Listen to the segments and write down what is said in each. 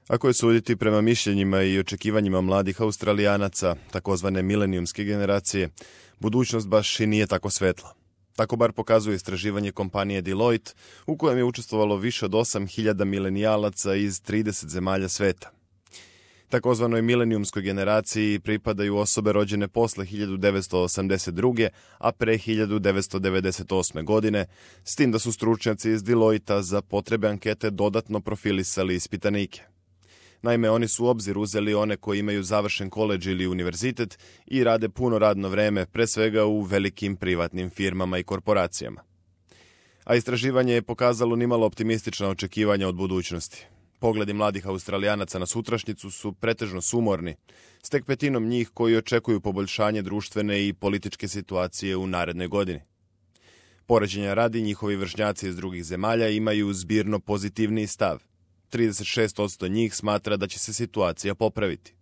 Ako je suditi prema mišljenjima i očekivanjima mladih Australijanaca, takozvane milenijumske generacije, budućnost baš i nije tako svetla. Tako bar pokazuje istraživanje kompanije Deloitte, u kojem je učestvovalo više od 8.000 milenijalaca iz 30 zemalja sveta. Takozvanoj milenijumskoj generaciji pripadaju osobe rođene posle 1982. a pre 1998. godine, s tim da su stručnjaci iz Deloitta za potrebe ankete dodatno profilisali ispitanike. Naime, oni su u obzir uzeli one koji imaju završen koledž ili univerzitet i rade puno radno vreme, pre svega u velikim privatnim firmama i korporacijama. A istraživanje je pokazalo nimalo optimistična očekivanja od budućnosti. Pogledi mladih Australijanaca na sutrašnjicu su pretežno sumorni, s tek petinom njih koji očekuju poboljšanje društvene i političke situacije u narednoj godini. Poređenja radi, njihovi vršnjaci iz drugih zemalja imaju zbirno pozitivniji stav. 36% njih smatra da će se situacija popraviti.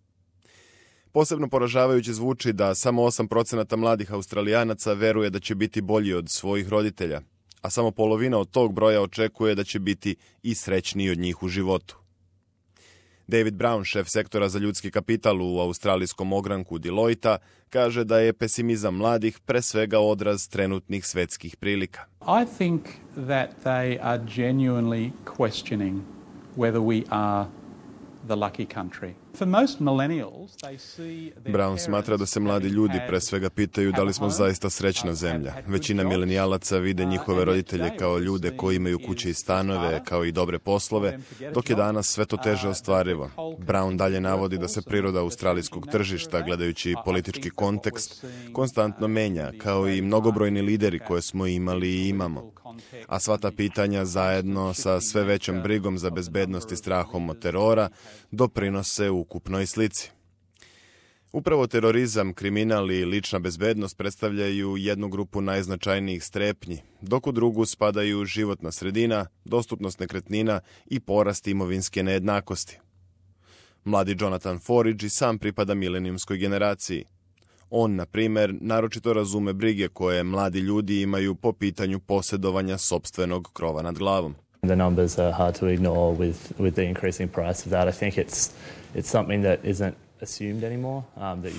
Posebno poražavajuće zvuči da samo 8% mladih Australijanaca veruje da će biti bolji od svojih roditelja, a samo polovina od tog broja očekuje da će biti i srećniji od njih u životu. David Brown, šef sektora za ljudski kapital u australijskom ogranku Deloitta, kaže da je pesimizam mladih pre svega odraz trenutnih svetskih prilika. I think that they are genuinely questioning whether we are the lucky country. For most millennials, they see Brown smatra da se mladi ljudi pre svega pitaju da li smo zaista srećna zemlja. Većina milenijalaca vide njihove roditelje kao ljude koji imaju kuće i stanove, kao i dobre poslove, dok je danas sve to teže ostvarivo. Brown dalje navodi da se priroda australijskog tržišta, gledajući politički kontekst, konstantno menja, kao i mnogobrojni lideri koje smo imali i imamo. A sva ta pitanja zajedno sa sve većom brigom za bezbednost i strahom od terora doprinose ukupnoj slici. Upravo terorizam, kriminal i lična bezbednost predstavljaju jednu grupu najznačajnijih strepnji, dok u drugu spadaju životna sredina, dostupnost nekretnina i porast imovinske nejednakosti. Mladi Jonathan Forridge i sam pripada milenijumskoj generaciji. On, na primjer, naročito razume brige koje mladi ljudi imaju po pitanju posjedovanja sopstvenog krova nad glavom. The numbers are hard to ignore with the increasing price of that. I think it's something that isn't assumed anymore.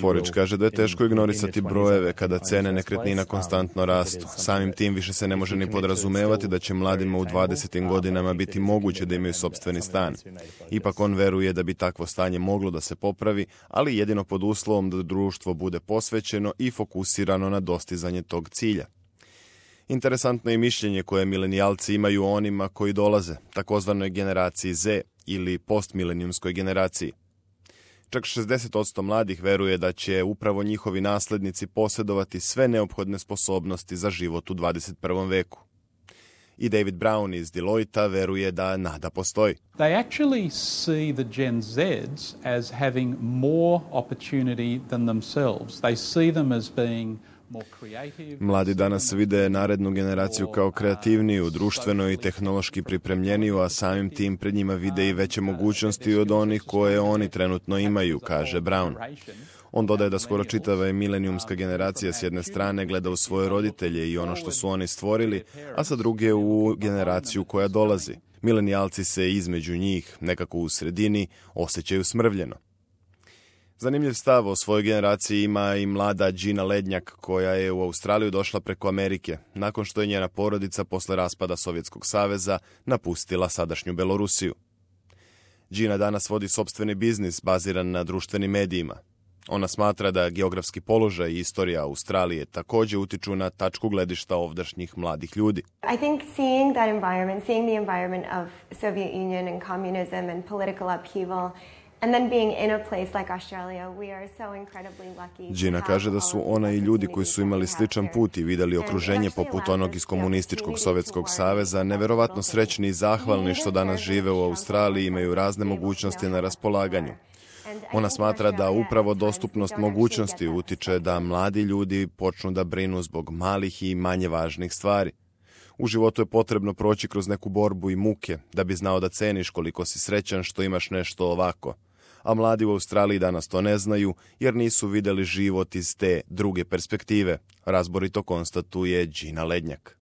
Forridge kaže da je teško ignorisati brojeve kada cene nekretnina konstantno rastu. Samim tim više se ne može ni podrazumevati da će mladima u 20. godinama biti moguće da imaju sopstveni stan. Ipak on veruje da bi takvo stanje moglo da se popravi, ali jedino pod uslovom da društvo bude posvećeno i fokusirano na dostizanje tog cilja. Interesantno je mišljenje koje milenijalci imaju o onima koji dolaze, takozvanoj generaciji Z ili postmilenijumskoj generaciji. Čak 60% mladih veruje da će upravo njihovi naslednici posjedovati sve neophodne sposobnosti za život u 21. veku. I David Brown iz Deloitta veruje da nada postoji. They actually see the Gen Zs as having more opportunity than themselves. They see them as being Mladi danas vide narednu generaciju kao kreativniju, društveno i tehnološki pripremljeniju, a samim tim pred njima vide i veće mogućnosti od onih koje oni trenutno imaju, kaže Brown. On dodaje da skoro čitava milenijumska generacija s jedne strane gleda u svoje roditelje i ono što su oni stvorili, a sa druge u generaciju koja dolazi. Milenijalci se između njih, nekako u sredini, osjećaju smrvljeno. Zanimljiv stav o svojoj generaciji ima i mlada Gina Lednjak, koja je u Australiju došla preko Amerike, nakon što je njena porodica posle raspada Sovjetskog saveza napustila sadašnju Belorusiju. Gina danas vodi sopstveni biznis baziran na društvenim medijima. Ona smatra da geografski položaj i istorija Australije također utiču na tačku gledišta ovdašnjih mladih ljudi. I think seeing the environment of Soviet Union and communism and political upheaval and then being in a place like Australia, we are so incredibly lucky. Gina kaže da su ona i ljudi koji su imali sličan put i vidjeli okruženje poput onog iz komunističkog Sovjetskog saveza neverovatno srećni i zahvalni što danas žive u Australiji i imaju razne mogućnosti na raspolaganju. Ona smatra da upravo dostupnost mogućnosti utiče da mladi ljudi počnu da brinu zbog malih i manje važnih stvari. U životu je potrebno proći kroz neku borbu i muke da bi znao da ceniš koliko si srećan što imaš nešto ovako. A mladi u Australiji danas to ne znaju jer nisu vidjeli život iz te druge perspektive, razborito konstatuje Gina Lednjak.